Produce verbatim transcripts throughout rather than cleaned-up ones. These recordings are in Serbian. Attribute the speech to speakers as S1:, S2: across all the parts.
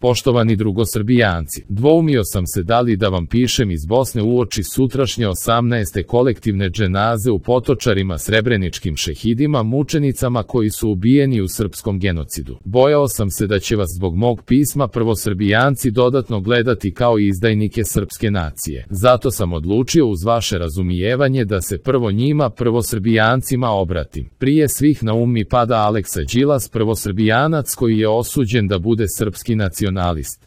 S1: Poštovani drugosrbijanci, dvoumio sam se da li da vam pišem iz Bosne uoči sutrašnje osamnaeste kolektivne dženaze u Potočarima srebreničkim šehidima mučenicama koji su ubijeni u srpskom genocidu. Bojao sam se da će vas zbog mog pisma prvosrbijanci dodatno gledati kao izdajnike srpske nacije. Zato sam odlučio uz vaše razumijevanje da se prvo njima prvosrbijancima obratim. Prije svih na um mi pada Aleksa Đilas, prvosrbijanac koji je osuđen da bude srpski nacionalist.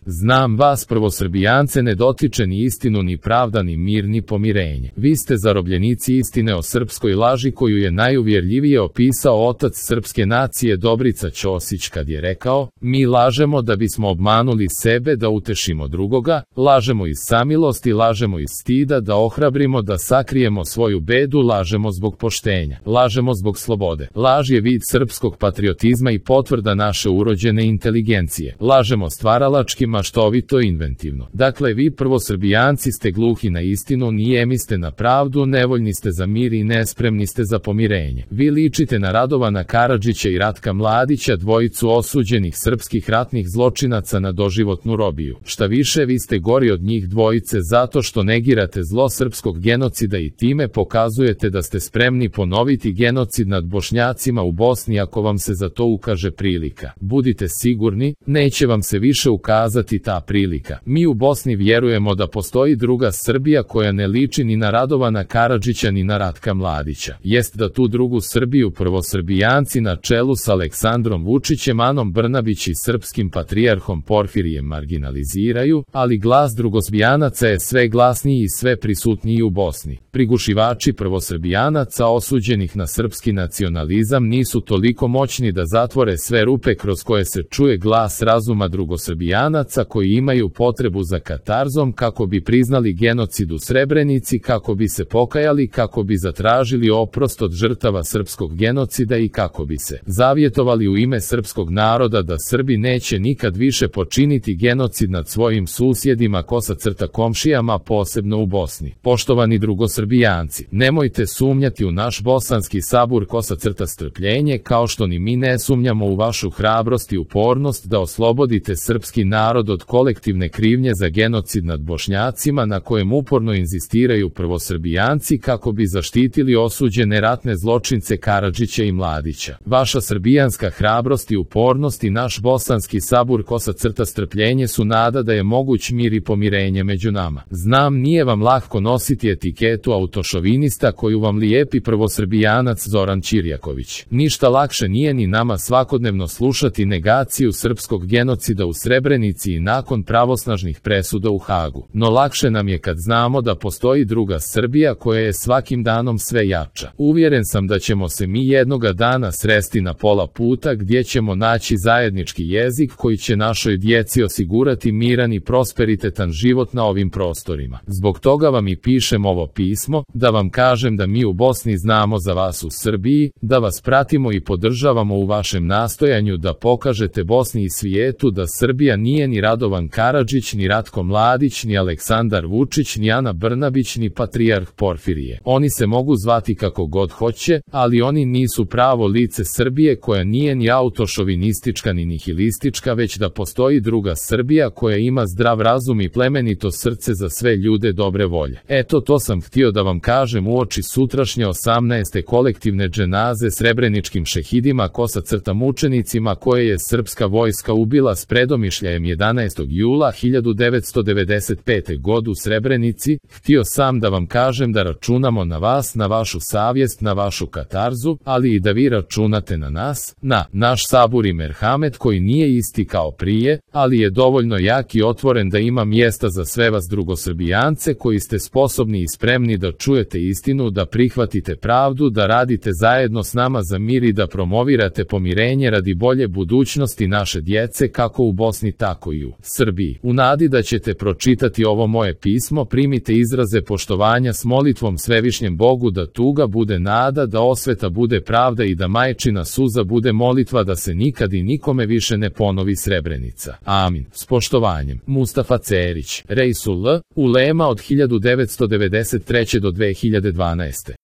S1: Znam vas prvosrbijance ne dotiče ni istinu, ni pravda, ni mir, ni pomirenje. Vi ste zarobljenici istine o srpskoj laži koju je najuvjerljivije opisao otac srpske nacije Dobrica Ćosić kad je rekao: mi lažemo da bismo obmanuli sebe, da utešimo drugoga, lažemo iz samilosti, lažemo iz stida, da ohrabrimo, da sakrijemo svoju bedu, lažemo zbog poštenja, lažemo zbog slobode. Laž je vid srpskog patriotizma i potvrda naše urođene inteligencije. Lažemo stvaralački, maštovito i inventivno. Dakle, vi prvosrbijanci ste gluhi na istinu, nijemi ste na pravdu, nevoljni ste za mir i nespremni ste za pomirenje. Vi ličite na Radovana Karadžića i Ratka Mladića, dvojicu osuđenih srpskih ratnih zločinaca na doživotnu robiju. Šta više, vi ste gori od njih dvojice zato što negirate zlo srpskog genocida i time pokazujete da ste spremni ponoviti genocid nad Bošnjacima u Bosni ako vam se za to ukaže prilika. Budite sigurni, neće vam se više ukazati ta prilika. Mi u Bosni vjerujemo da postoji druga Srbija koja ne liči ni na Radovana Karadžića ni na Ratka Mladića. Jest da tu drugu Srbiju prvosrbijanci na čelu s Aleksandrom Vučićem, Anom Brnabić i srpskim patrijarhom Porfirijem marginaliziraju, ali glas drugosrbijanaca je sve glasniji i sve prisutniji u Bosni. Prigušivači prvosrbijanaca osuđenih na srpski nacionalizam nisu toliko moćni da zatvore sve rupe kroz koje se čuje glas razuma drugosrbijanaca koji imaju potrebu za katarzom kako bi priznali genocid u Srebrenici, kako bi se pokajali, kako bi zatražili oprost od žrtava srpskog genocida i kako bi se zavjetovali u ime srpskog naroda da Srbi neće nikad više počiniti genocid nad svojim susjedima, kosa crta komšijama, posebno u Bosni. Poštovani drugosrbijanci, nemojte sumnjati u naš bosanski sabur, kosa crta strpljenje, kao što ni mi ne sumnjamo u vašu hrabrost i upornost da oslobodite srpski narod od kolektivne krivnje za genocid nad Bošnjacima na kojem uporno inzistiraju prvosrbijanci kako bi zaštitili osuđene ratne zločince Karadžića i Mladića. Vaša srbijanska hrabrost i upornost i naš bosanski sabur, kosa crta strpljenje su nada da je moguć mir i pomirenje među nama. Znam, nije vam lahko nositi etiketu autošovinista koju vam lijepi prvosrbijanac Zoran Ćirjaković. Ništa lakše nije ni nama svakodnevno slušati negaciju srpskog genocida u Srebrenici i nakon pravosnažnih presuda u Hagu. No lakše nam je kad znamo da postoji druga Srbija koja je svakim danom sve jača. Uvjeren sam da ćemo se mi jednoga dana sresti na pola puta gdje ćemo naći zajednički jezik koji će našoj djeci osigurati miran i prosperitetan život na ovim prostorima. Zbog toga vam i pišem ovo pismo, da vam kažem da mi u Bosni znamo za vas u Srbiji, da vas pratimo i podržavamo u vašem nastojanju da pokažete Bosni i svijetu da Srbija nije ni Radovan Karadžić, ni Ratko Mladić, ni Aleksandar Vučić, ni Ana Brnabić, ni patrijarh Porfirije. Oni se mogu zvati kako god hoće, ali oni nisu pravo lice Srbije koja nije ni autošovinistička ni nihilistička, već da postoji druga Srbija koja ima zdrav razum i plemenito srce za sve ljude dobre volje. Eto, to sam htio da vam kažem uoči sutrašnje osamnaeste kolektivne dženaze srebreničkim šehidima, kosa crta mučenicima koje je srpska vojska ubila s predomišljajem jedanaestog jula hiljadu devetsto devedeset pete. godine u Srebrenici. Htio sam da vam kažem da računamo na vas, na vašu savjest, na vašu katarzu, ali i da vi računate na nas, na naš sabur i merhamet koji nije isti kao prije, ali je dovoljno jak i otvoren da ima mjesta za sve vas drugosrbijance koji ste sposobni i spremni da čujete istinu, da prihvatite pravdu, da radite zajedno s nama za mir i da promovirate pomirenje radi bolje budućnosti naše djece kako u Bosni tako i u Srbiji. U nadi da ćete pročitati ovo moje pismo, primite izraze poštovanja s molitvom Svevišnjem Bogu da tuga bude nada, da osveta bude pravda i da majčina suza bude molitva da se nikad i nikome više ne ponovi Srebrenica. Amin. S poštovanjem. Mustafa Cerić, Reisul L. Ulema od hiljadu devetsto devedeset treće. do dve hiljade dvanaeste.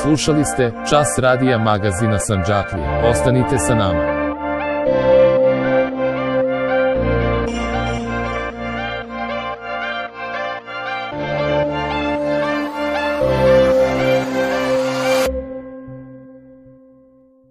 S1: Slušali ste Čas radija magazina Sandžaklija. Ostanite sa nama.